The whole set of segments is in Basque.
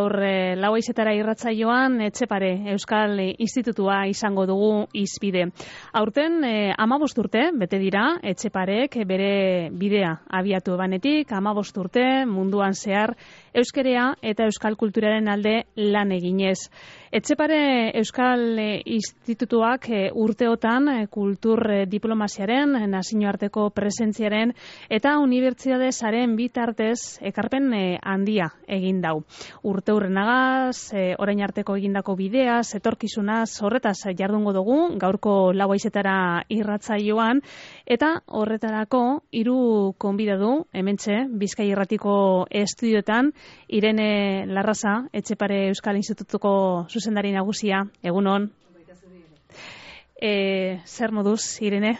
Gaur lau haizetara irratsaioan Etxepare Euskal Institutua izango dugu hizpide. Aurten 15 urte bete dira Etxeparek bere bidea abiatu banetik, 15 urte munduan zehar euskerea eta euskal kulturaren alde lan eginez. Etxepare Euskal Institutuak urteotan kultur diplomaziaren, nazioarteko presentziaren eta unibertsitate saren bitartez ekarpen handia egin dau. Urteurrenagaz, orain arteko egindako bideaz, etorkizunaz, horretaz jardungo dugu, gaurko lau haizetara irratsaioan, eta horretarako 3 gonbidatu, hementxe, Bizkai Irratiko estudioetan, Irene Larraza, Etxepare Euskal Institutuko zuzendari nagusia, egunon. Zer moduz, Irene?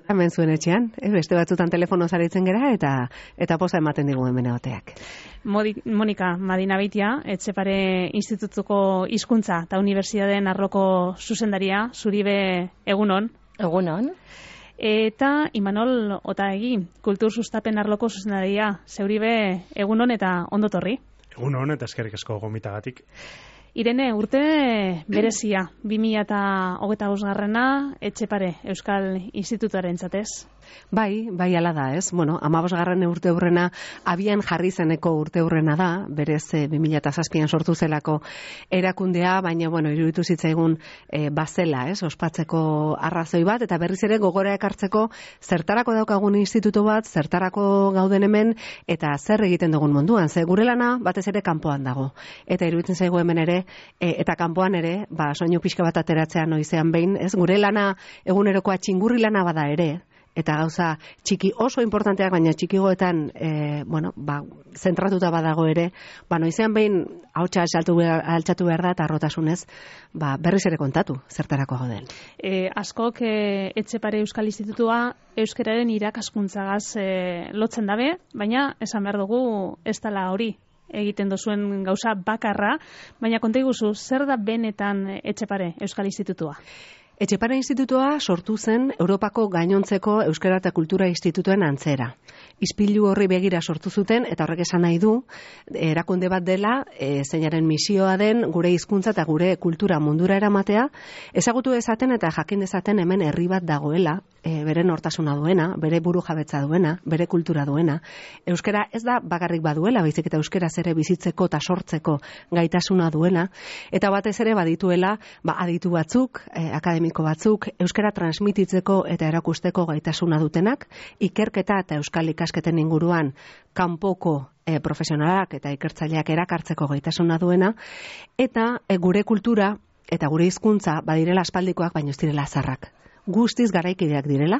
Hemen zuen etxean, beste batzutan telefono zaritzen gera eta poza ematen digu hemen egoteak. Monika Madinabeitia, Etxepare Institutuko hizkuntza eta unibertsitateen arloko zuzendaria, zuribe egunon. Egunon. Eta Imanol Otaegi, kultur sustapen arloko zuzendaria, zeuribe egunon eta ondotorri. Egunon eta eskerrik asko gomitagatik. Irene, urte berezia, 2025 Etxepare Euskal Institutuaren zatez. Bai ala da, ez? 15. urteurrena abian jarri zeneko urteurrena da, berez 2007an sortu zelako erakundea, baina iruditu zitzaigun bazela, ez? Ospatzeko arrazoi bat eta berriz ere gogora ekartzeko zertarako daukagun institutu bat, zertarako gauden hemen eta zer egiten dugun munduan. Ze gure lana batez ere kanpoan dago. Eta iruditzen zaigu hemen ere eta kanpoan ere, soinu pixka bat ateratzea noizean behin, ez? Gure lana egunerokoa txingurri lana bada ere, eta gauza txiki oso importanteak, baina txikigoetan zentratuta badago ere, noizean behin ahotsa altxatu behar da eta arrotasunez berriz ere kontatu zertarako gauden. Askok Etxepare Euskal Institutua euskararen irakaskuntzagaz lotzen dabe, baina esan behar dugu ez dela hori egiten dozuen gauza bakarra, baina konta iguzu, zer da benetan Etxepare Euskal Institutua? Etxepare Institutua sortu zen Europako gainontzeko Euskara eta Kultura Institutuen antzera. Ispilu horri begira sortu zuten, eta horrek esan nahi du, erakunde bat dela, zeinaren misioa den gure hizkuntza eta gure kultura mundura eramatea, ezagutu dezaten eta jakin dezaten hemen herri bat dagoela, bere nortasuna duena, bere buru jabetza duena, bere kultura duena. Euskara ez da bakarrik baduela, baizik eta euskaraz ere bizitzeko eta sortzeko gaitasuna duela, eta batez ere badituela, aditu batzuk, akademiko batzuk, euskara transmititzeko eta erakusteko gaitasuna dutenak, ikerketa eta euskal ikasketen inguruan kanpoko profesionalak eta ikertzaileak erakartzeko gaitasuna duena, eta gure kultura eta gure hizkuntza badirela aspaldikoak baino ez direla zarrak. Guztiz garaikideak direla,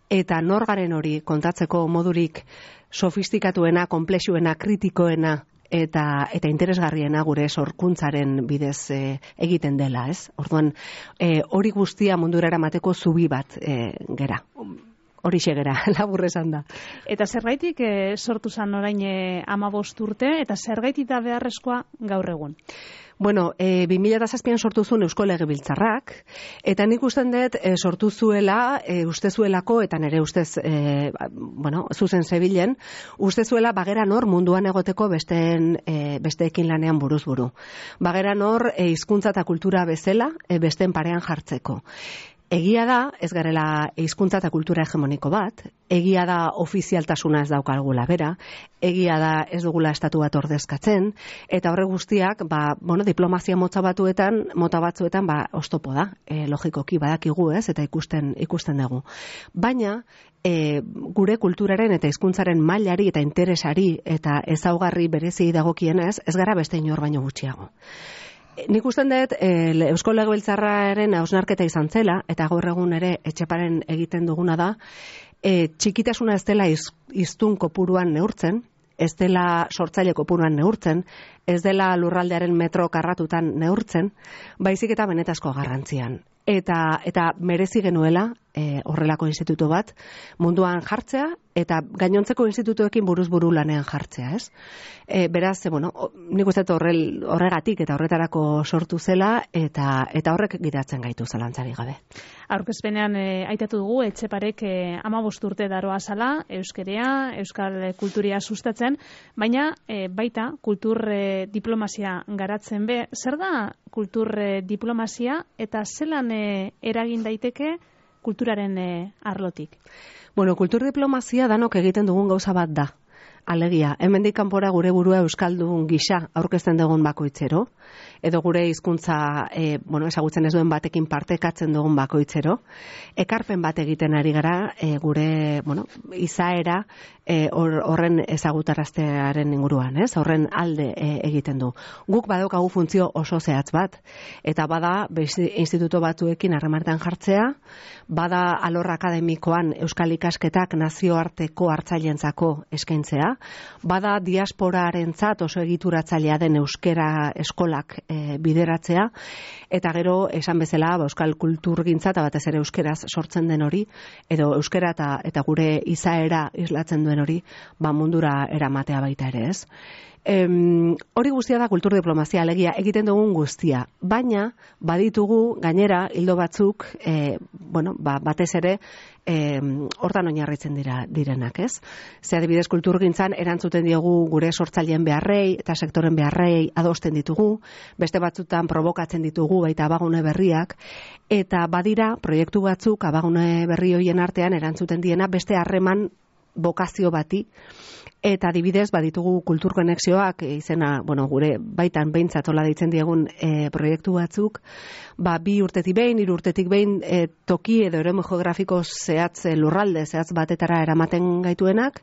eta nor garen hori kontatzeko modurik sofistikatuena, konplexuena, kritikoena eta interesgarriena gure sorkuntzaren bidez egiten dela, ez? Orduan, hori guztia mundura eramateko zubi bat gera. Horixe gera, labur esan da. Eta zergaitik sortu zan orain 15 urte, eta zergaitik da beharrezkoa gaur egun? 2007an sortu zuen Eusko Legebiltzarrak, eta nik usten dut sortu zuela, uste zuelako, eta nire ustez, zuzen zebilen, uste zuela bagera nor munduan egoteko besteekin lanean buruz buru. Bagera nor hizkuntza eta kultura bezala, besteen parean jartzeko. Egia da, ez garela hizkuntza eta kultura hegemoniko bat, egia da ofizialtasuna ez daukalgula bera, egia da ez dugula estatu bat ordezkatzen, eta horre guztiak, diplomazia mota batzuetan, oztopo da, logikoki badakigu ez, eta ikusten dugu. Baina, gure kulturaren eta hizkuntzaren mailari eta interesari eta ezaugarri berezi dagokienez, ez gara beste inor baino gutxiago. Nik usten dut, Eusko Legebiltzarraren hausnarketa izan zela, eta gaur egun ere Etxeparen egiten duguna da, txikitasuna ez dela hiztun kopuruan neurtzen, ez dela sortzaile kopuruan neurtzen, ez dela lurraldearen metro karratutan neurtzen, baizik eta benetazko garrantzian. Eta merezi genuela horrelako institutu bat munduan jartzea eta gainontzeko institutuekin buruz buru lanean jartzea, ez? Beraz, nik uste horregatik eta horretarako sortu zela eta horrek gidatzen gaitu zalantzari gabe. Aurkezpenean aitatu dugu Etxeparek 15 urte daroa zala euskerea, euskal kulturia sustatzen, baina baita kultur diplomazia garatzen be. Zer da kultur diplomazia eta zelan eragin daiteke kulturaren arlotik? Bueno, kultur diplomazia danok egiten dugun gauza bat da. Alegia, hemendik kanpora gure burua euskaldun gisa aurkezten dugun bakoitzero, edo gure hizkuntza ezagutzen ez duen batekin partekatzen dugun bakoitzero, ekarpen bat egiten ari gara gure izaera horren ezagutaraztearen inguruan, ez? Horren alde egiten du. Guk badaukagu funtzio oso zehatz bat, eta bada instituto batzuekin harremanetan jartzea, bada alor akademikoan euskal ikasketak nazioarteko hartzaileentzako eskaintzea, bada diasporarentzat oso egituratzailea den euskera eskolak bideratzea, eta gero esan bezala euskal kulturgintza eta batez ere euskeraz sortzen den hori, edo euskera eta gure izaera islatzen duen hori, mundura eramatea baita ere, ez? Hori guztia da kultur diplomazia, alegia egiten dugun guztia, baina baditugu gainera hildo batzuk batez ere hortan oinarritzen direnak, ez? Ze adibidez kulturgintzan erantzuten diogu gure sortzaileen beharrei eta sektoren beharrei adosten ditugu, beste batzutan probokatzen ditugu baita abagune berriak, eta badira proiektu batzuk abagune berri hoien artean erantzuten diena beste harreman bokazio bati, eta adibidez baditugu kultur konexioak izena, gure baitan behintzat hola deitzen diegun proiektu batzuk, 2 urtetik behin, 3 urtetik behin toki edo eremu geografiko zehatz lurralde zehatz batetara eramaten gaituenak,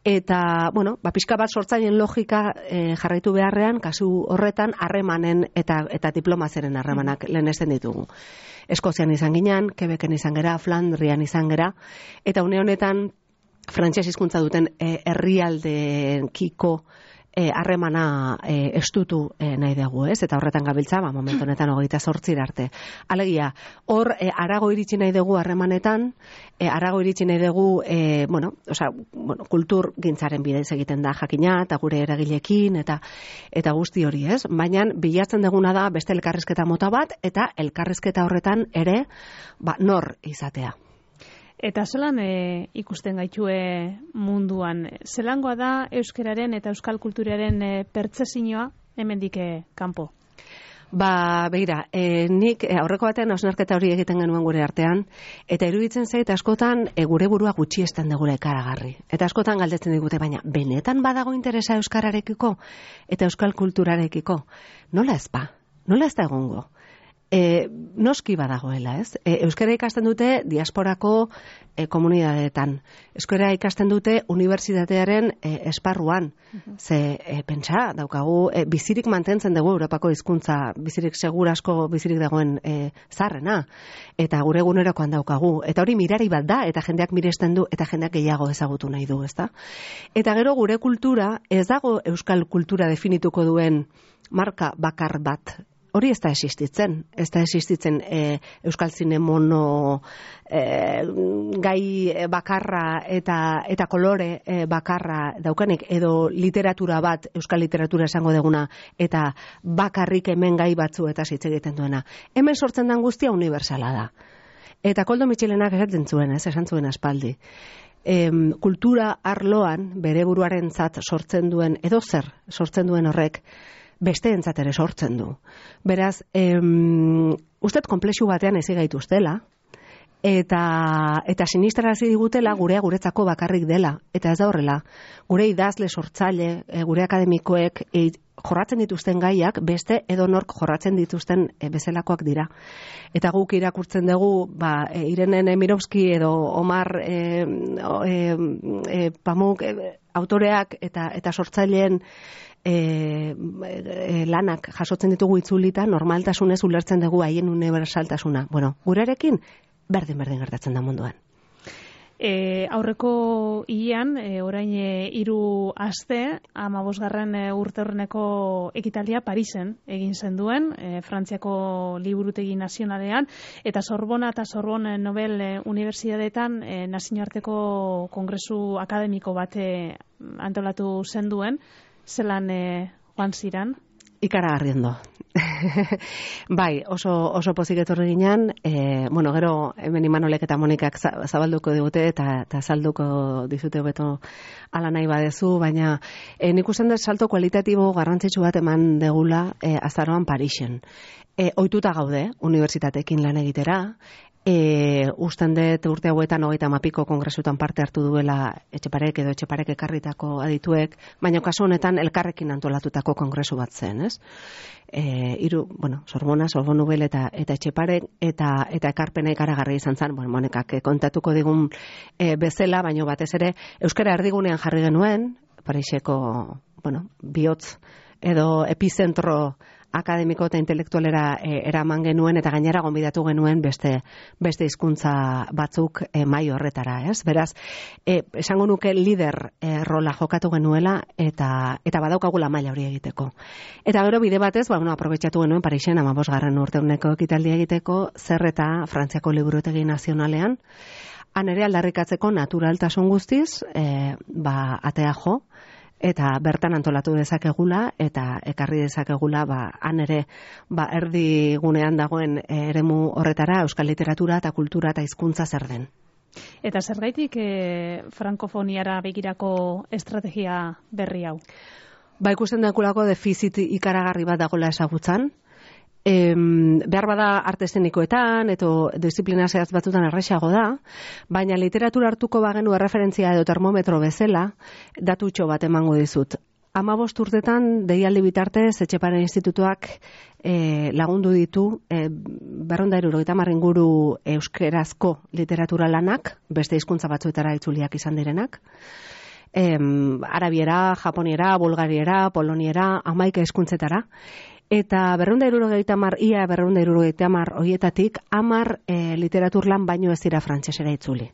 eta, pixka bat sortzaileen logika jarraitu beharrean, kasu horretan harremanen eta diplomazeren harremanak lehenesten ditugu. Eskozian izan ginen, Quebecen izan gera, Flandrian izan gera, eta une honetan frantses hizkuntza duten herrialdekiko harremana estutu nahi dugu, ez? Eta horretan gabiltza, momentu honetan 28 arte. Alegia, hor harago iritsi nahi dugu harremanetan, harago iritsi nahi dugu, kultur gintzaren bidez egiten da jakina, eta gure eragilekin, eta guzti hori, ez? Baina bilatzen duguna da beste elkarrizketa mota bat, eta elkarrizketa horretan ere, nor izatea. Eta zelan ikusten gaitue munduan? Zelangoa da euskararen eta euskal kulturaren pertzezioa hemendik kanpo? Begira, nik aurreko batean hausnarketa hori egiten genuen gure artean, eta iruditzen zait askotan gure burua gutxiesten dugula ikaragarri. Eta askotan galdetzen digute, baina benetan badago interesa euskararekiko eta euskal kulturarekiko? Nola ez ba? Nola ez da egongo? Noski badagoela, ez? Euskara ikasten dute diasporako komunidadeetan. Euskara ikasten dute unibertsitatearen esparruan. Ze pentsa daukagu, bizirik mantentzen dugu Europako hizkuntza, bizirik segurasko bizirik dagoen zaharrena, eta gure egunerokoan daukagu. Eta hori mirari bat da, eta jendeak miresten du, eta jendeak gehiago ezagutu nahi du, ezta? Eta gero gure kultura, ez dago euskal kultura definituko duen marka bakar bat. Hori ez da existitzen. Ez da existitzen euskal zine mono gai bakarra eta kolore bakarra daukanek, edo literatura bat, euskal literatura esango deguna, eta bakarrik hemen gai batzu eta hitz egiten duena. Hemen sortzen den guztia unibertsala da. Eta Koldo Mitxelenak esaten zuen, esan zuen aspaldi. Kultura arloan bere buruarentzat sortzen duen, edo zer sortzen duen horrek, besteentzat ere sortzen du. Beraz, ustet konplexu batean ezi gaituztela, eta sinistarazi digutela guretzako bakarrik dela, eta ez da horrela. Gure idazle sortzaile, gure akademikoek jorratzen dituzten gaiak beste edonork jorratzen dituzten bezalakoak dira. Eta guk irakurtzen dugu, Irene Nemirovski edo Omar Pamuk autoreak eta sortzaileen lanak jasotzen ditugu itzulita, normaltasunez ulertzen dugu haien unibertsaltasuna. Gurearekin berdin gertatzen da munduan. Aurreko hilean, orain 3 aste, 15. urte horreneko ekitaldia Parisen egin zenduen, Frantziako Liburutegi Nazionalean, eta Sorbona eta Sorbonne Nobel Unibertsitateetan nazioarteko kongresu akademiko bat antolatu zenduen. Zelan joan ziran? Ikaragarriendo. Bai, oso pozik etorri ginen, gero hemen Imanolek eta Monikak zabalduko digute eta salduko dizute hobeto ala nahi badezu, baina nik usten dut salto kualitatibo garrantzitsu bat eman degula azaroan Parisen. Ohituta gaude, unibertsitateekin lan egitera, usten dut urte hauetan 30 kongresutan parte hartu duela Etxeparek ekarritako adituek, baina kasu honetan elkarrekin antolatutako kongresu bat zen, ez? Sorbona, Sorbonubel eta Etxeparek eta ekarpena ikaragarri izan zen, Monikak kontatuko digun bezala, baina batez ere euskara erdigunean jarri genuen, Pariseko, bihotz edo epizentro akademiko eta intelektualera eraman genuen eta gainera gonbidatu genuen beste hizkuntza batzuk mai horretara, ez? Beraz, esango nuke lider rola jokatu genuela eta badaukagula maila hori egiteko. Eta gero bide batez, aprobetxatu genuen Parisen 15. urteuneko ekitaldia egiteko, zer eta Frantziako Liburutegi Nazionalean, han ere aldarrikatzeko naturaltasun guztiz, atea jo, eta bertan antolatu dezakegula eta ekarri dezakegula han ere erdi gunean dagoen eremu horretara euskal literatura eta kultura eta hizkuntza zer den. Eta zergaitik frankofoniara begirako estrategia berri hau? Ikusten dakulako defizit ikaragarri bat dagoela ezagutzan. Behar bada arte eszenikoetan edo disiplina zehatz batzutan erraxago da, baina literatura hartuko bagenu erreferentzia edo termometro bezala, datutxo bat emango dizut. 15 urtetan deialdi bitartez Etxepare Institutuak lagundu ditu 270 inguru euskerazko literatura lanak, beste hizkuntza batzuetara itzuliak izan direnak. Arabiera, japoniera, bulgariera, poloniera, 11 hizkuntzetara. Eta 270 horietatik 10 literaturlan baino ez dira frantsesera itzuli.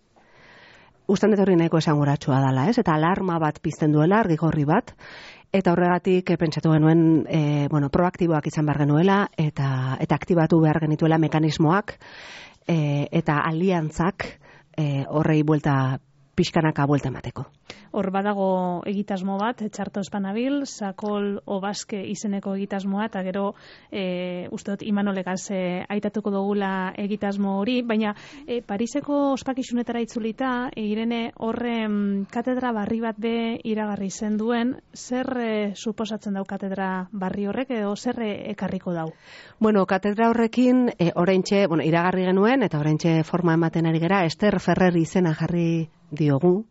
Ustan dut hori nahiko esanguratsua dela, ez? Eta alarma bat pizten duela, argigorri bat, eta horregatik pentsatu genuen proaktiboak izan behar genuela eta aktibatu behar genituela mekanismoak eta aliantzak horrei pixkanaka buelta emateko. Hor badago egitasmo bat, txarto espanabil, Sakol Obaske izeneko egitasmoa, eta gero uste dut Imanolekaz aitatuko dugula egitasmo hori, baina Pariseko ospakizunetara itzulita, Irene horre katedra barri bat be iragarri zen duen, zer suposatzen dau katedra barri horrek, edo zer ekarriko dau? Katedra horrekin oraintxe, iragarri genuen, eta oraintxe forma ematen ari gera, Ester Ferrer izena jarri diogu.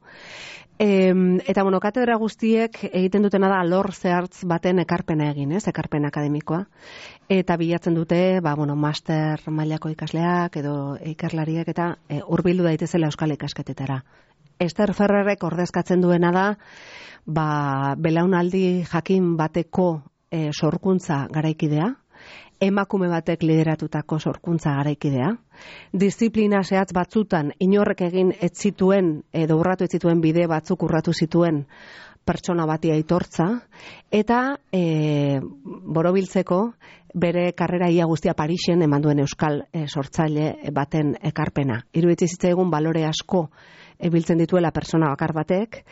Eta katedra guztiek egiten dutena da alor zehartz baten ekarpena egin, ekarpen akademikoa. Eta bilatzen dute, master mailako ikasleak edo ikerlariek eta hurbildu daitezela euskal ikasketetara. Ester Ferrerrek ordezkatzen duena da, belaunaldi jakin bateko sorkuntza garaikidea, emakume batek lideratutako sorkuntza garaikidea, disiplina zehatz batzutan inorrek egin ez zituen edo urratu ez zituen bide batzuk urratu zituen pertsona bati aitortza, eta borobiltzeko bere karrera ia guztia Parisen eman duen euskal sortzaile baten ekarpena. Iruditzen zitzaigun balore asko biltzen dituela persona bakar batek,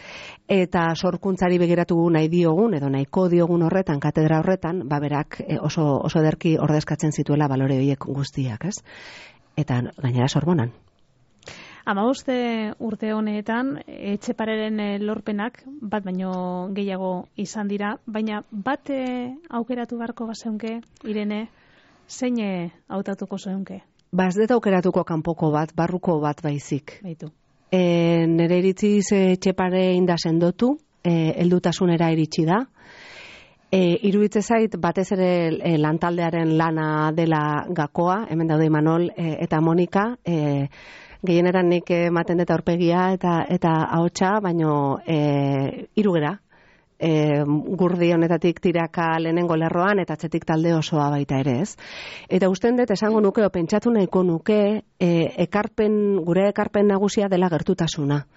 eta sorkuntzari begiratu nahi diogun, edo nahiko diogun horretan, katedra horretan, berak oso ederki ordezkatzen zituela balore horiek guztiak, ez? Eta gainera Sorbonan. 15 urte honetan, Etxepareren lorpenak, bat baino gehiago izan dira, baina bat aukeratu beharko bazeunke, Irene, zein hautatuko zeunke? Ez dut aukeratuko kanpoko bat, barruko bat baizik. Baitu. Nere iritziz Etxepare inda sendotu, heldutasunera iritsi da. Iruditzen zait, batez ere lantaldearen lana dela gakoa, hemen daude Imanol eta Monika, gehienetan nik ematen dut aurpegia eta ahotsa, baino hirugera. Gurdi honetatik tiraka lehenengo lerroan eta atzetik talde osoa baita ere, ez? Eta usten dut esango nuke, pentsatu nahiko nuke, gure ekarpen nagusia dela gertutasuna.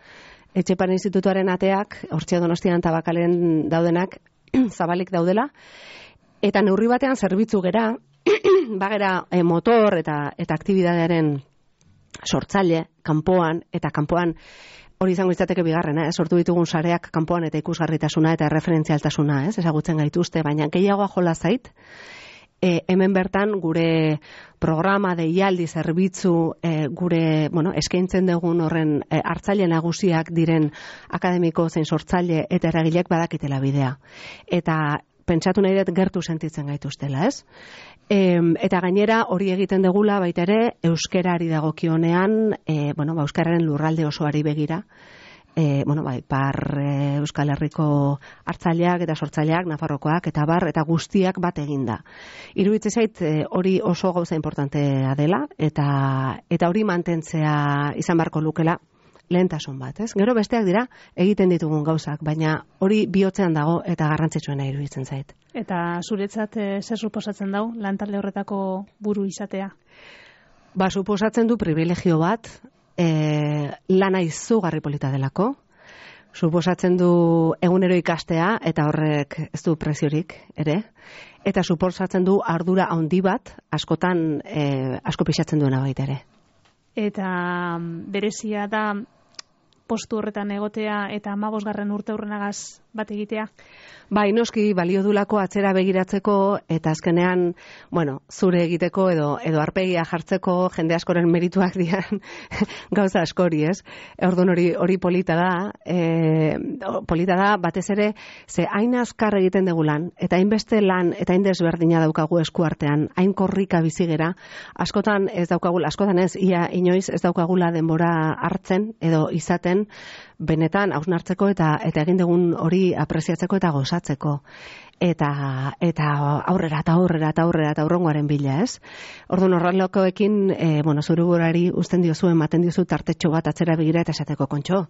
Etxepare Institutuaren ateak, Hortxe Donostian eta Bakalen daudenak, zabalik daudela, eta neurri batean zerbitzu gera, bagera motor eta aktibidadearen sortzaile, kanpoan hori izango izateke bigarrena, sortu ditugun sareak kanpoan eta ikusgarritasuna eta erreferentzialtasuna, ezagutzen gaituzte, baina gehiagoa jola zait, hemen bertan gure programa, deialdi, zerbitzu, gure, eskaintzen dugun horren hartzaile nagusiak diren akademiko zein sortzaile eta eragileak badakitela bidea. Eta pentsatu nahi dut gertu sentitzen gaituztela, ez? Eta gainera hori egiten degula baita ere euskerari dagokionean, euskararen lurralde osoari begira, Euskal Herriko hartzaileak eta sortzaileak, Nafarrokoak eta eta guztiak bat eginda. Iruditzen zait hori oso gauza importantea dela eta hori mantentzea izan beharko lukela lehentasun bat, ez? Gero besteak dira egiten ditugun gauzak, baina hori bihotzean dago eta garrantzitsuena iruditzen zait. Eta zuretzat zer suposatzen dau lantalde horretako buru izatea? Suposatzen du privilegio bat, lana izugarri polita delako, suposatzen du egunero ikastea eta horrek ez du preziorik ere, eta suposatzen du ardura handi bat askotan asko pixatzen duena baita ere. Eta berezia da postu horretan egotea eta 15. urteurrenagaz bat egitea? Bai, noski balio dulako atzera begiratzeko eta azkenean, zure egiteko edo arpegia jartzeko jende askoren merituak dian gauza askori, ez? Orduan hori polita da batez ere, ze hain azkar egiten dugu lan, eta hainbeste lan eta hain desberdina daukagu eskuartean, hain korrika bizigera, askotan ez, ia inoiz ez daukagula denbora hartzen edo izaten benetan hausnartzeko eta egin dugun hori apreziatzeko eta gozatzeko. Eta aurrera eta hurrengoaren bila, ez? Orduan horrelakoekin, zure burari uzten diozu, ematen diozu tartetxo bat atzera begira eta esateko kontxo.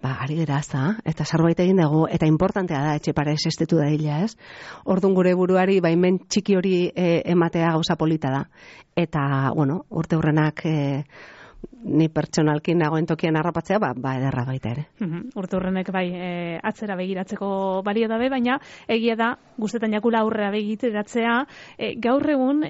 Ari gara, eta zerbait egin dugu, eta importantea da, Etxepare existitu da hila, ez? Orduan gure buruari baimen txiki hori ematea gauza polita da. Eta, urte hurrenak ni pertsonalkin nagoen tokian harrapatzea, ederra baita ere. Urte hurrenek atzera begiratzeko balio dabe, baina egia da, guztetan jakula aurrera begiteratzea, gaur egun,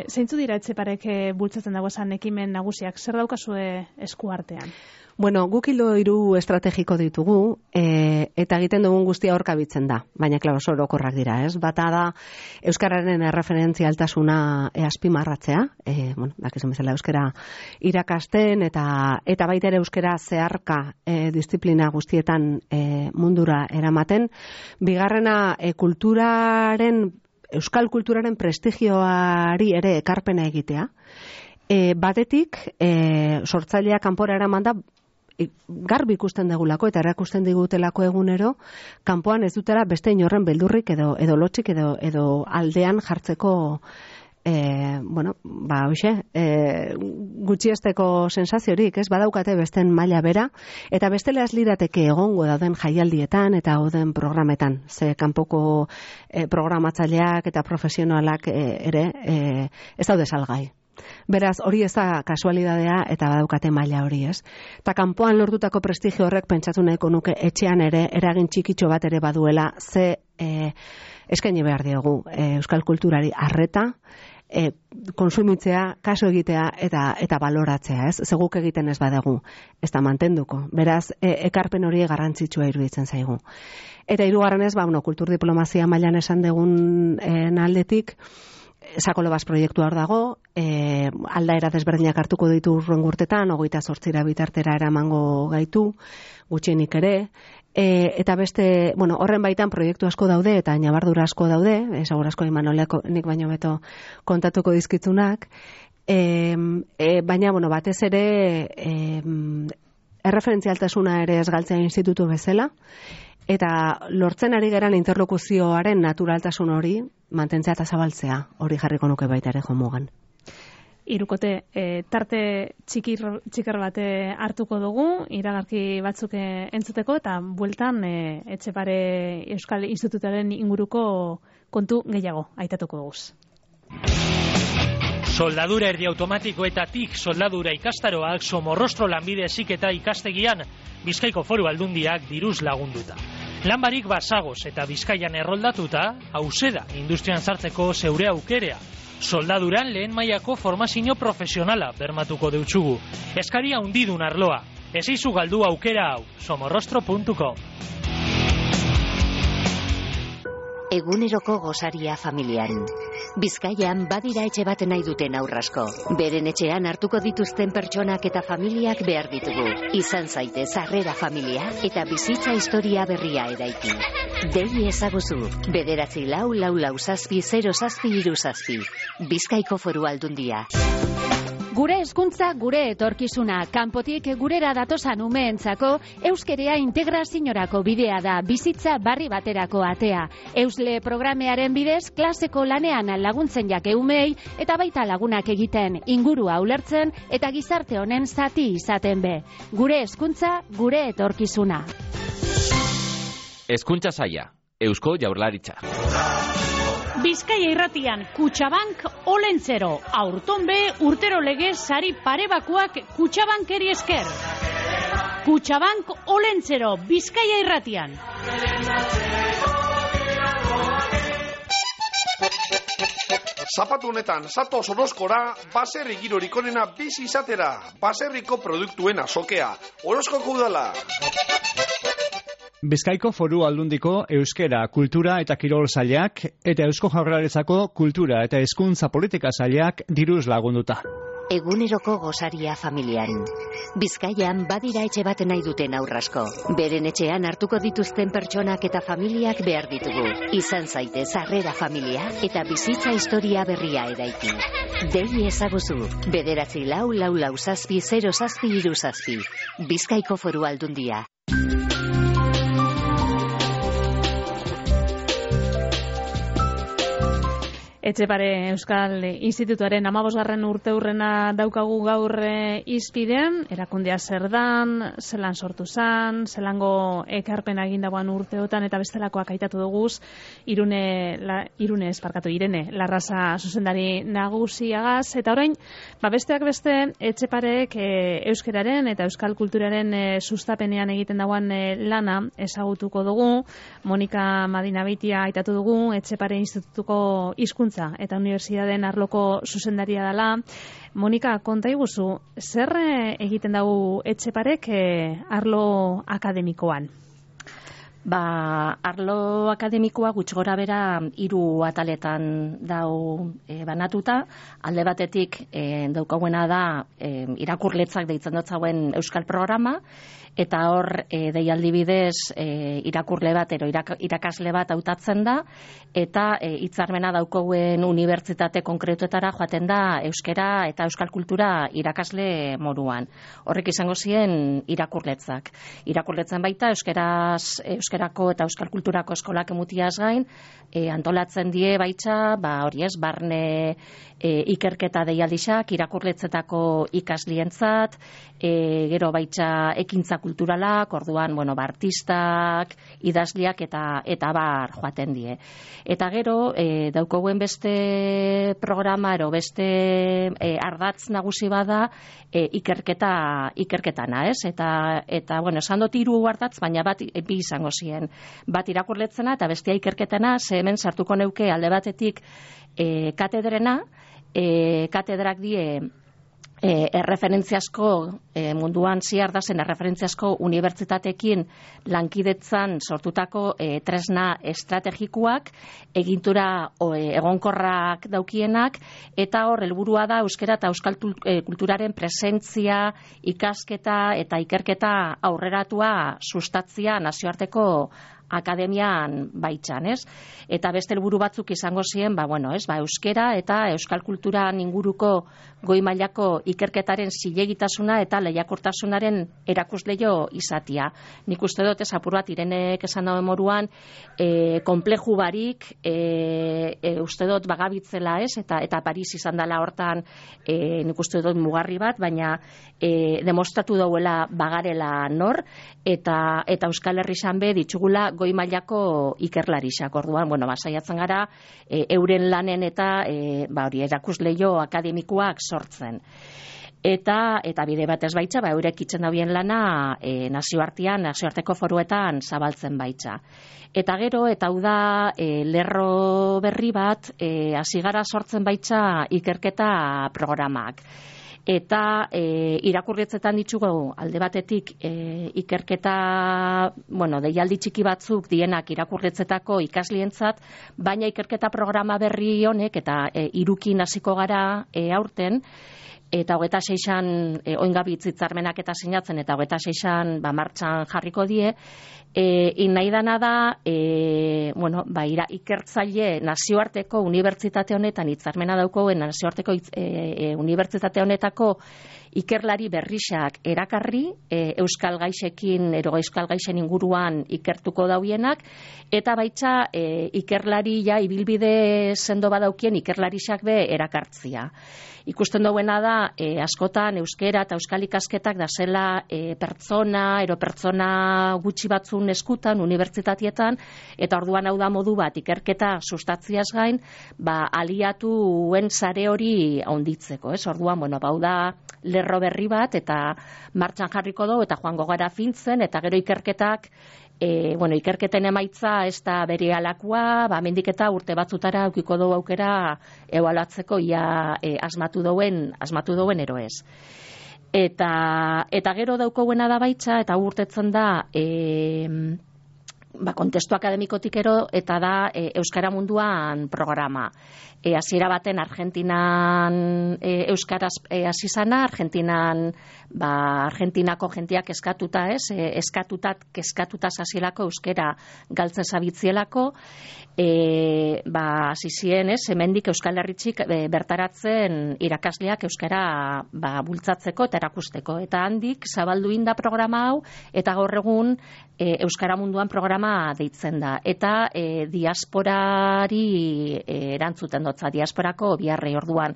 zeintzu dira Etxeparek bultzatzen dago esan ekimen nagusiak, zer daukazue eskuartean? Guk ildo 3 estrategiko ditugu, eta egiten dugun guztia horkabitzen da, baina klaro orokorrak dira, ez? Bata da euskararen erreferentzialtasuna azpimarratzea, dakizun bezala euskara irakasten eta baita ere euskara zeharka disiplina guztietan mundura eramaten. Bigarrena euskal kulturaren prestigioari ere ekarpena egitea. Batetik, sortzailea kanpora eraman da garbi ikusten degulako eta erakusten digutelako egunero, kanpoan ez dutela beste inorren beldurrik edo lotxik edo aldean jartzeko gutxiesteko sensaziorik, ez? Badaukate besten maila bera, eta bestela ez lirateke egongo dauden jaialdietan eta dauden programetan, ze kanpoko programatzaileak eta profesionalak ere ez daude salgai. Beraz, hori ez da kasualidadea eta badaukate maila hori, ez? Eta kanpoan lortutako prestigio horrek pentsatu nahiko nuke etxean ere eragin txikitxo bat ere baduela, ze eskaini behar diogu euskal kulturari arreta, konsumitzea, kaso egitea eta baloratzea, ez? Zeguk egiten ez badegu, ez da mantenduko. Beraz, ekarpen hori garrantzitsua iruditzen zaigu. Eta hirugarrenez, kultur diplomazia mailan esan dugun aldetik, Sakolobaz proiektua hor dago, aldaera desberdinak hartuko ditu urren urtetan, 28 bitartera eramango gaitu, gutxienik ere, eta beste, horren baitan proiektu asko daude, eta ñabardura asko daude, segur asko Imanoleko nik baino beto kontatuko dizkitzunak, baina, batez ere, erreferentzialtasuna ere ez galtzea institutu bezala, eta lortzen ari geran interlokuzioaren naturaltasun hori mantentzea eta zabaltzea, hori jarriko nuke baita ere jomugan. Hirukote, tarte txikar bate hartuko dugu, iragarki batzuk entzuteko, eta bueltan Etxepare Euskal Institutuaren inguruko kontu gehiago aitatuko duguz. Soldadura erdi automatikoetatik soldadura ikastaroak Somorrostro lanbide heziketa ikastegian Bizkaiko Foru Aldundiak diruz lagunduta. Lanbarik basagoz eta Bizkaian erroldatuta, hauseda industrian sartzeko zeure aukerea. Soldaduran lehen mailako formazio profesionala bermatuko deutsugu. Eskaria handidun arloa. Ez izu galdu aukera hau, somorrostro.com. Eguneroko gosaria familian. Bizkaian badira etxe bat nahi duten aurrasko. Beren etxean hartuko dituzten pertsonak eta familiak behar ditugu. Izan zaitez Harrera familia eta bizitza historia berria eraiki. Dei ezaguzu, 944660737. Bizkaiko Foru Aldundia. Gure hezkuntza, gure etorkizuna, kanpotik gurera datosan umeentzako, euskerea integraziorako bidea da, bizitza barri baterako atea. Eusle programearen bidez, klaseko lanean laguntzen jake umei, eta baita lagunak egiten, ingurua ulertzen, eta gizarte honen zati izaten be. Gure hezkuntza, gure etorkizuna. Hezkuntza saila, Eusko Jaurlaritza. Bizkaia irratian, Kutxabank Olentzero, aurton be urtero legez sari parebakuak Kutxabankeri esker. Kutxabank Olentzero, Bizkaia irratian. Zapatu honetan, zatoz Orozkora, baserri girorik onena bizi izatera, baserriko produktuen azokea, Orozkoko udala. Bizkaiko Foru Aldundiko euskera, kultura eta kirol sailak eta Eusko Jaurlaritzako kultura eta hezkuntza politika sailak diruz lagunduta. Eguneroko gosaria familian. Bizkaian badira etxe bat nahi duten aurrasko. Beren etxean hartuko dituzten pertsonak eta familiak behar ditugu. Izan zaitez Harrera familia eta bizitza historia berria eraiki. Dei ezaguzu, 944660737. Bizkaiko Foru Aldundia. Etxepare Euskal Institutuaren 15. urteurrena daukagu gaur hizpidean, erakundea zer dan, zelan sortu zan, zelango ekarpena egin dagoan urteotan eta bestelakoak aitatu duguz, Irene Larraza zuzendari nagusiagaz, eta orain, besteak beste, Etxeparek euskeraren eta euskal kulturaren sustapenean egiten dagoan lana ezagutuko dugu. Monika Madinabeitia aitatu dugu, Etxepare Institutuko hizkuntza eta unibertsitateen arloko zuzendaria dela. Monika, konta iguzu, zer egiten dugu Etxeparek arlo akademikoan? Arlo akademikoa gutxi gora bera 3 ataletan dau banatuta. Alde batetik daukauena da irakurletzak deitzen dutzauen euskal programa, eta hor deialdi bidez irakurle bat ero irakasle bat hautatzen da, eta hitzarmena daukauen unibertsitate konkretuetara joaten da euskera eta euskal kultura irakasle moduan. Horrek izango ziren irakurletzak. Irakurletzen baita euskerako eta euskal kulturako eskolak emutiaz gain, antolatzen die baitza, barne ikerketa deialdixak, irakurletzetako ikaslientzat, gero baitza ekintza kulturalak, orduan, artistak, idazliak eta bar joaten die. Eta gero, daukoen beste programa, beste ardatz nagusi bada, ikerketana, ez? Eta esan dut 3 ardatz, baina bat bi izango ziren. Bat irakurletzena eta bestea ikerketana, ze hemen sartuko neuke alde batetik katedrena, katedrak die erreferentziasko munduan ziar da zen erreferentziasko unibertsitateekin lankidetzan sortutako tresna estrategikoak, egintura egonkorrak daukienak, eta hor helburua da euskera eta euskal kulturaren presentzia, ikasketa eta ikerketa aurreratua sustatzia nazioarteko akademian baitzan, ez? Eta beste helburu batzuk izango ziren, euskera eta euskal kulturan inguruko goi mailako ikerketaren zilegitasuna eta lehiakortasunaren erakusleio izatia. Nik uste dut apur bat Irenek esan dauen moduan, konpleju barik, uste dut bagabitzela, ez? Eta Paris izan dela hortan, nik uste dut mugarri bat, baina demostratu dauela bagarela nor, eta Euskal Herri be ditugula goi mailako ikerlarixak. Orduan, saiatzen gara euren lanen eta erakusleio akademikoak sortzen. Eta bide batez baitza, eurek itzen dauen lana nazioarteko foruetan zabaltzen baitza. Eta gero, eta hau da lerro berri bat, hasi gara sortzen baitza ikerketa programak. eta irakurritzetan ditugu alde batetik ikerketa, deialdi txiki batzuk dienak irakurritzetako ikaslientzat, baina ikerketa programa berri honek eta irukin hasiko gara aurten, eta 26an oingabitz hitzarmenak eta sinatzen, eta 26an martxan jarriko die, nahi dana da, ikertzaile nazioarteko unibertsitate honetan hitzarmena daukoen nazioarteko unibertsitate honetako ikerlari berrixak erakarri, euskal gaixekin, euskal gaixen inguruan ikertuko dauienak, eta baitza ikerlari ibilbide sendo badaukien ikerlarixak be erakartzia. Ikusten duena da, askotan euskera eta euskal ikasketak da zela pertsona gutxi batzun eskutan, unibertsitatietan, eta orduan hau da modu bat ikerketa sustatziaz gain, aliatuen sare hori handitzeko. Orduan, hau da lerro berri bat, eta martxan jarriko dugu, eta joango gara fintzen, eta gero ikerketak, ikerketen emaitza ez da bere alakoa, mendik eta urte batzutara aukiko dugu aukera ebaluatzeko ia asmatu duen ero ez. Eta gero daukoguena da baitza, eta urtetzen da kontestu akademikotik ero, eta da Euskara Munduan programa. Hasiera baten Argentinan euskaraz hasi zana, Argentinako jendeak eskatuta hasielako euskera galtzen zabitzielako, hasi ziren, hemendik Euskal Herritxik bertaratzen irakasleak euskara bultzatzeko eta erakusteko. Eta handik zabaldu inda programa hau, eta gaur egun Euskara Munduan programa deitzen da. Eta diasporari erantzuten dotza, diasporako biharrei orduan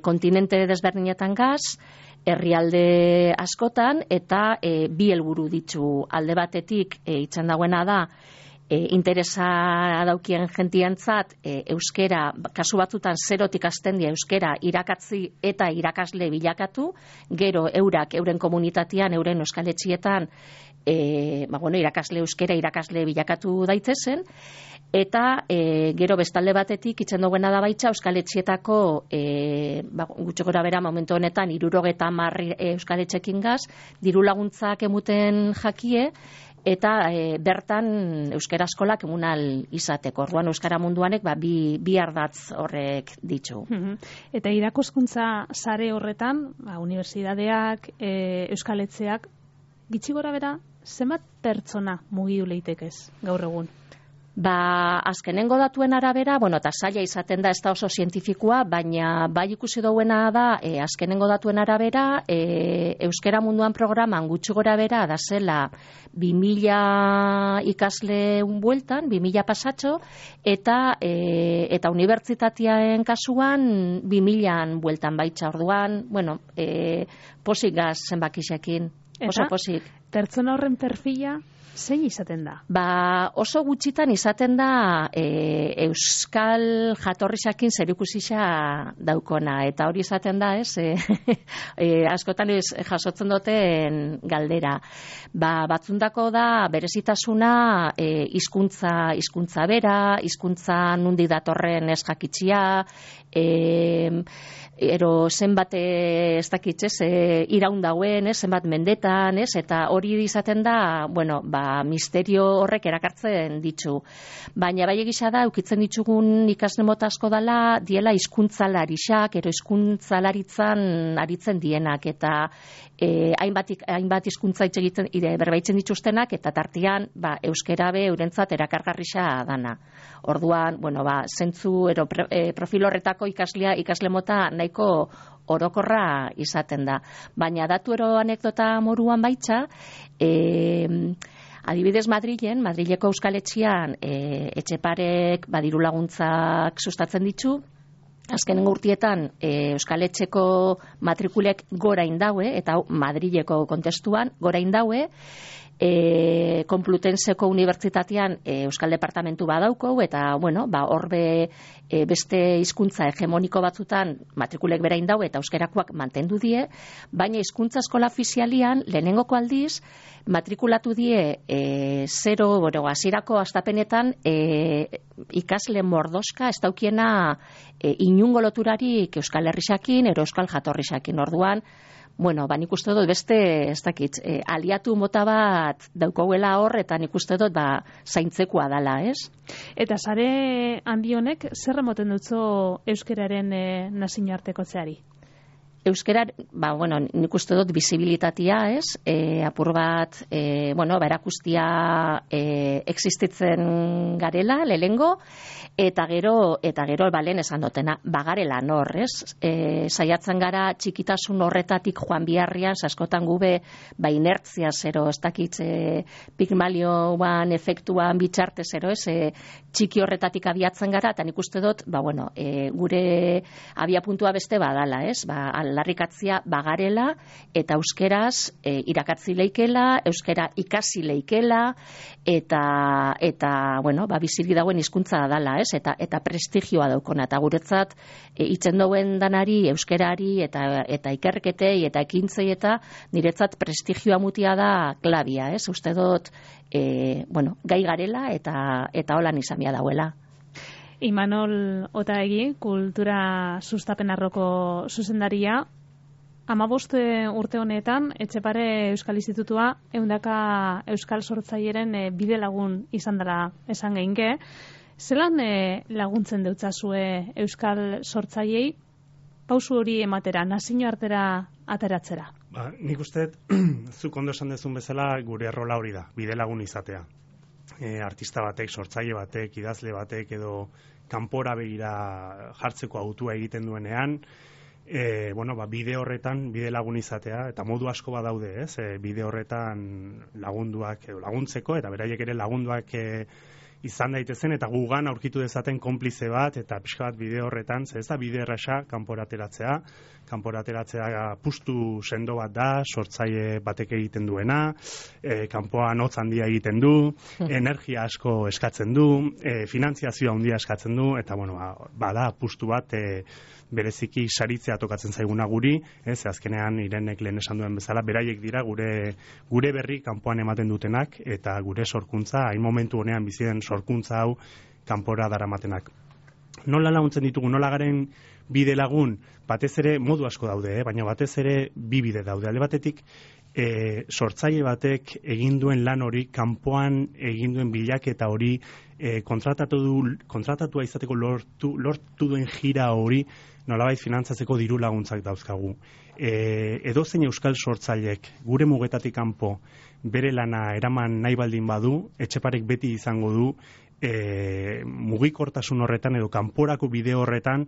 kontinente desberdinetan gaz, herrialde askotan, eta bi helburu ditu. Alde batetik itzen dagoena da, interesa daukien jentientzat euskera, kasu batzutan zerotik hasten dira euskera irakatzi eta irakasle bilakatu, gero euren komunitatean, euren euskaletxietan irakasle euskera irakasle bilakatu daitezen, eta gero bestalde batetik itzen duguena da baitza euskaletxietako gutxo gora bera momentu honetan 70 euskaletxekin gaz, diru laguntzak emuten jakie, eta bertan euskara eskolak emunal izateko. Orduan Euskara Munduanek bi ardatz horrek ditu. Eta irakaskuntza sare horretan, unibertsitateak, euskaletxeak, gitxi gora bera, zenbat pertsona mugidu leitekez gaur egun? Azkenengo datuen arabera, eta zaila izaten da ez da oso zientifikoa, baina bai ikusi duena da, azkenengo datuen arabera, Euskara Munduan programan gutxi gora bera da zela 2000 ikasle bueltan, 2000 pasatxo, eta unibertsitateaen kasuan 2000 bueltan baitza. Orduan, posik gaz zenbakisekin, oso posik. Pertsona horren perfila zein izaten da? Oso gutxitan izaten da euskal jatorrisakin zerikusia daukona, eta hori izaten da, askotan jasotzen duten galdera. Batzundako da berezitasuna hizkuntza bera, hizkuntza nundi datorren ez jakitxia, zenbat ez dakitz, iraun dauen, zenbat mendetan, eta hori izaten da, misterio horrek erakartzen ditu. Baina bai egisa da, ukitzen ditugun ikasle mota asko dela, diela hizkuntzalarixak, hizkuntzalaritzan aritzen dienak, eta hainbat hizkuntza berbaitzen dituztenak, eta tartian euskera be eurentzat erakargarrisa dana. Orduan, zentzu profil horretako ikasle mota nahiko orokorra izaten da. Baina datu anekdota moruan baitza, adibidez Madrileko euskaletxean Etxeparek diru laguntzak sustatzen ditu, azkenengo urtietan euskaletxeko matrikulek gora indaue, eta Madrileko kontestuan gora indaue, Konplutenseko Unibertsitatean Euskal Departamentu badauko, eta, bueno, horbe beste hizkuntza hegemoniko batzutan matrikulek berain dau eta euskerakoak mantendu die, baina hizkuntza eskola ofizialian lehenengoko aldiz matrikulatu die hasierako astapenetan ikasle mordoska ez daukiena inungo loturarik Euskal Herrixakin, Euskal Jatorrixakin. Orduan, bueno, nik uste dut beste, ez dakit, aliatu mota bat daukauela hor, eta nik uste dut zaintzekoa dala, ez? Eta sare handi honek, zer emoten dutzo euskeraren nazioartekotzeari? Euskera, nik uste dut bizibilitatea, ez? Apur bat, erakustia existitzen garela, lehengo, eta gero, lehen esan dutena, bagarela nor, ez? Saiatzen gara txikitasun horretatik joan biharrian, askotan gube, inertzia zero, ez dakit, Pigmalioan efektuan bitxarte zero, ez? Txiki horretatik abiatzen gara, eta nik uste dut, gure abiapuntua beste badala, ez? Larrikatzia bagarela, eta euskeraz irakatzi leikela, euskera ikasi leikela, eta bizili dagoen hizkuntza dala, ez? Eta prestigioa daukona, eta guretzat itzen dauen danari, euskerari, eta ikerketei, eta ekintzei, eta niretzat prestigioa mutia da klabia, ez? Uste dut, gai garela, eta holan izan dauela. Imanol Otaegi, kultura sustapenarroko zuzendaria, 15 urte honetan, Etxepare Euskal Institutua 100 euskal sortzaileen bide lagun izan dela esan geinke. Zelan laguntzen deutzazue euskal sortzaiei pausu hori ematera, nazioartera ateratzera? Nik uste, zuk ondo esan dezun bezala, gure errola hori da, bide lagun izatea. Artista batek, sortzaile batek, idazle batek edo kanpora begira jartzeko autua egiten duenean, bide horretan, bide lagun izatea, eta modu asko badaude, ez? Bide horretan lagunduak edo laguntzeko, eta beraiek ere lagunduak izan daitezen, eta gugan aurkitu dezaten konplize bat, eta pixka bat bide horretan, ez da bide erraza kanpora ateratzea pustu sendo bat da, sortzaile batek egiten duena, kanpoan hotz handia egiten du, energia asko eskatzen du, finantziazioa handia eskatzen du, eta bada pustu bat bereziki saritzea tokatzen zaiguna guri, azkenean Irenek lehen esan duen bezala, beraiek dira gure berri kanpoan ematen dutenak, eta gure sorkuntza, hain momentu honean bizi den sorkuntza hau kanpora daramatenak. Nola laguntzen ditugu, nola garen bide lagun, batez ere modu asko daude, baina batez ere bi bide daude. Alde batetik, sortzaile batek egin duen lan hori, kanpoan egin duen bilaketa hori, kontratatua izateko lortu duen jira hori, nolabait finantzatzeko diru laguntzak dauzkagu. Edozein euskal sortzaileek gure mugetatik kanpo bere lana eraman nahi baldin badu, Etxeparek beti izango du mugikortasun horretan edo kanporako bide horretan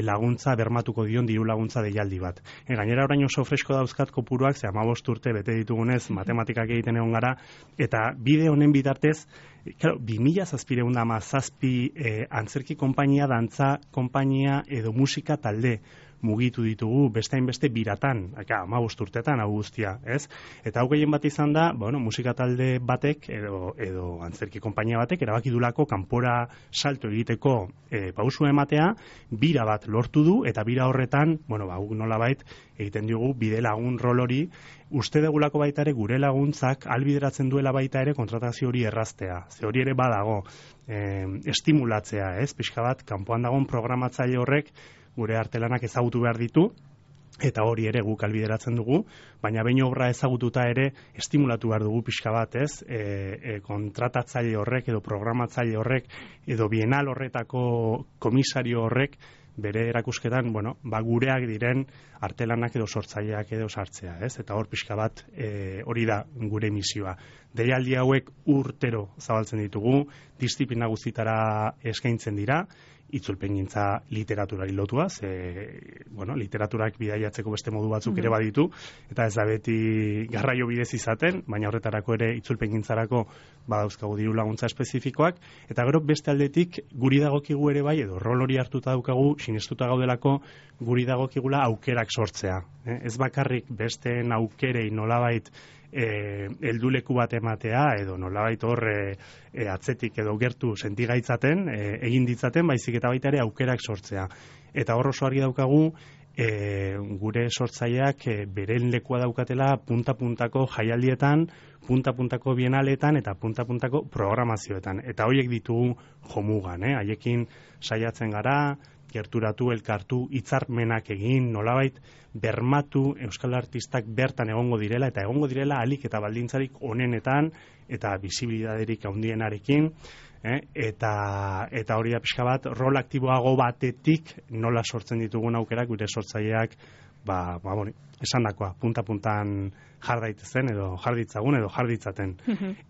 laguntza bermatuko dion diru laguntza deialdi bat. Gainera orain oso fresko dauzkat kopuruak, 15 urte bete ditugunez matematikak egiten egon gara, eta bide honen bitartez, 2717 antzerki konpainia, dantza konpainia edo musika talde mugitu ditugu bestain beste biratan, 15 urtetan hau guztia, ez? Eta hau gehien bat izan da, musika talde batek edo antzerki konpainia batek erabaki dulako kanpora salto egiteko pausua ematea, bira bat lortu du, eta bira horretan, nolabait egiten diogu bide lagun rol hori, uste degulako baita ere gure laguntzak albideratzen duela baita ere kontratazio hori erraztea. Ze hori ere badago estimulatzea, ez? Pixka bat, kanpoan dagoen programatzaile horrek gure artelanak ezagutu behar ditu, eta hori ere guk albideratzen dugu, baina behin obra ezagututa ere estimulatu behar dugu pixka bat, ez? Kontratatzaile horrek edo programatzaile horrek edo bienal horretako komisario horrek bere erakusketan, gureak diren artelanak edo sortzaileak edo sartzea, ez? Eta hor pixka bat hori da gure misioa. Deialdi hauek urtero zabaltzen ditugu, disiplina guztitara eskaintzen dira, itzulpengintza literaturari lotua, literaturak bidaiatzeko beste modu batzuk ere baditu, eta ez da beti garraio bidez izaten, baina horretarako ere itzulpengintzarako badauzkagu diru laguntza espezifikoak, eta gero beste aldetik guri dagokigu ere bai, edo rol hori hartuta daukagu, sinestuta gaudelako guri dagokigula aukerak sortzea. Ez bakarrik besteen aukerei nolabait helduleku bat ematea edo nolabait hor atzetik edo gertu sentigaitzaten egin ditzaten, baizik eta baita ere aukerak sortzea. Eta hor oso argi daukagu gure sortzaileak beren lekua daukatela punta-puntako jaialdietan, punta-puntako bienaletan eta punta-puntako programazioetan. Eta horiek ditugu jomugan, haiekin saiatzen gara, gerturatu, elkartu, hitzarmenak egin, nolabait bermatu euskal artistak bertan egongo direla, eta egongo direla alik eta baldintzarik onenetan eta bisibilidaderik handienarekin, eta hori da pixka bat, rol aktiboago batetik nola sortzen ditugun aukerak gure sortzaileak, esandakoa, punta-puntan jar daitezen edo jar ditzagun edo jar ditzaten.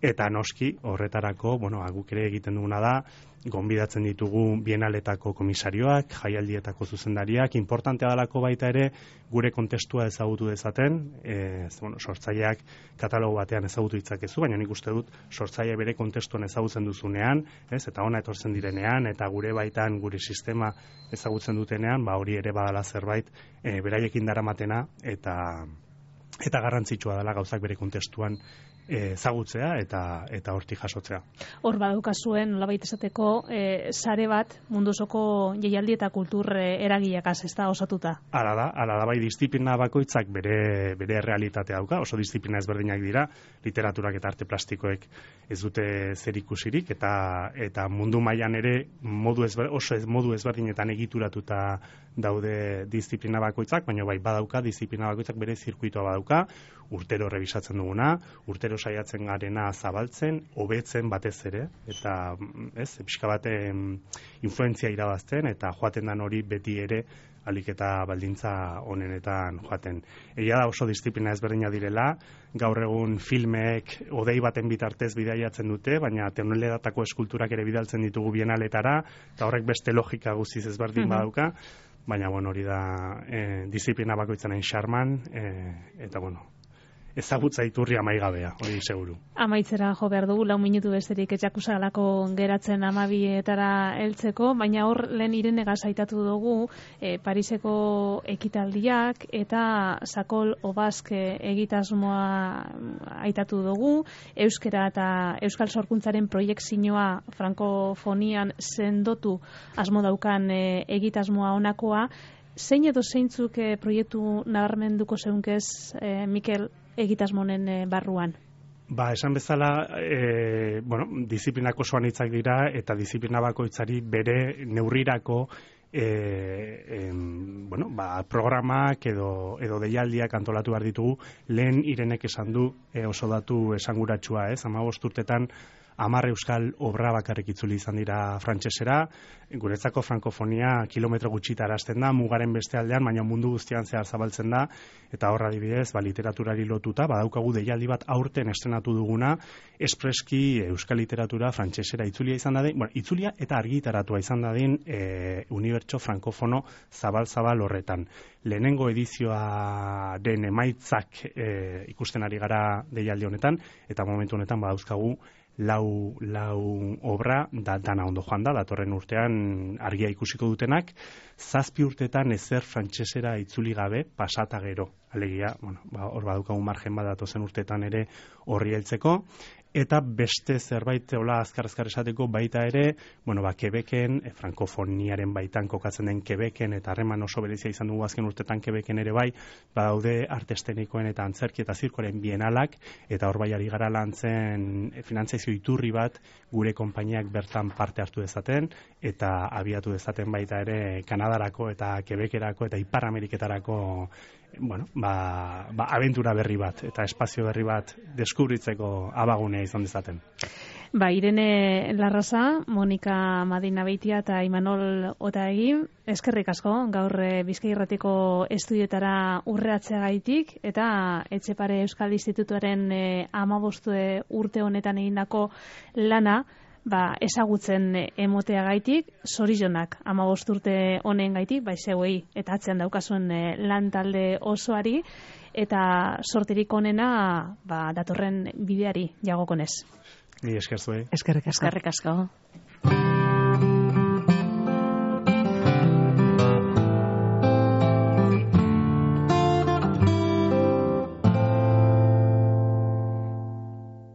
Eta noski horretarako, guk ere egiten duguna da, gonbidatzen ditugu bienaletako komisarioak, jaialdietako zuzendariak, importantea dalako baita ere gure kontestua ezagutu dezaten, sortzaileak katalogo batean ezagutu ditzakezu, baina nik uste dut sortzaile bere kontestuan ezagutzen duzunean, eta ona etortzen direnean, eta gure baitan gure sistema ezagutzen dutenean, hori ere badala zerbait beraiekin daramatena, eta garrantzitsua dela gauzak bere kontestuan ezagutzea eta hortik jasotzea. Hor badaukazuen nolabait esateko sare bat mundu osoko jaialdi eta kultur eragileakaz ez da osatuta. Hala da, bai disiplina bakoitzak bere realitatea dauka, oso disiplina ezberdinak dira, literaturak eta arte plastikoek ez dute zerikusirik eta mundu mailan ere modu ezberdinetan egituratuta daude disiplina bakoitzak, baina bai badauka disiplina bakoitzak bere zirkuitoa badauka, urtero rebisatzen duguna, urtero saiatzen garena zabaltzen, hobetzen batez ere, eta pixka bat influentzia irabazten, eta joaten dan hori beti ere alik eta baldintza onenetan joaten. Egia da oso disiplina ezberdina direla, gaur egun filmeek odei baten bitartez bidaiatzen dute, baina toneledatako eskulturak ere bidaltzen ditugu bienaletara, eta horrek beste logika guztiz ezberdin badauka, baina hori da disiplina bakoitzaren xarman, eta ezagutza iturri amaigabea, hori seguru. Amaitzera jo behar dugu, 4 minutu besterik etxakusagalako geratzen 12etara heltzeko, baina hor lehen Irenegaz aitatu dugu Pariseko ekitaldiak eta Sakol Obask egitasmoa aitatu dugu, euskera eta euskal sorkuntzaren proiektzioa frankofonian sendotu asmo daukan egitasmoa honakoa. Zein edo zeintzuk proiektu nabarmenduko zeunkez, Mikel, egitasmonen barruan? Esan bezala, disiplinak oso anitzak dira eta disiplina bakoitzari bere neurrirako programak edo deialdiak antolatu behar ditugu. Lehen Irenek esan du oso datu esanguratsua, 15 urtetan 10 euskal obra bakarrik itzuli izan dira frantsesera, guretzako frankofonia kilometro gutxita arazten da, mugaren beste aldean, baina mundu guztian zehar zabaltzen da, eta horra adibidez, literaturari lotuta, badaukagu deialdi bat aurten estrenatu duguna, espreski euskal literatura frantsesera itzulia izan dadin, itzulia eta argitaratua izan dadin unibertso frankofono zabal horretan. Lehenengo edizioaren emaitzak ikusten ari gara deialdi honetan, eta momentu honetan badauzkagu lau obra dana ondo joan da, datorren urtean argia ikusiko dutenak, 7 urtetan ezer frantsesera itzuli gabe pasata gero. Alegia, hor badaukagu margen bat datozen urtetan ere horri heltzeko, eta beste zerbait hola azkar esateko baita ere, Quebecen, frankofoniaren baitan kokatzen den Quebecen, eta harreman oso berezia izan dugu azken urtetan Quebecen ere bai, badaude arte eszenikoen eta antzerki eta zirkoaren bienalak, eta hor bai ari gara lantzen finantzazio iturri bat gure konpainiak bertan parte hartu dezaten, eta abiatu dezaten baita ere Kanadarako eta Quebecerako eta Ipar Ameriketarako abentura berri bat eta espazio berri bat deskubritzeko abagunea izan dezaten. Irene Larraza, Monika Madina Beitia eta Imanol Otaegi, eskerrik asko gaur Bizkai Irratiko estudioetara urreatzeagaitik eta Etxepare Euskal Institutuaren 15 urte honetan egindako lana ezagutzen emoteagaitik, zorionak 15 urte honen gaitik, zeuei eta atzean daukazuen lan talde osoari, eta sorterik onena datorren bideari jagokonez. Ni esker zuei. Eskerrik asko.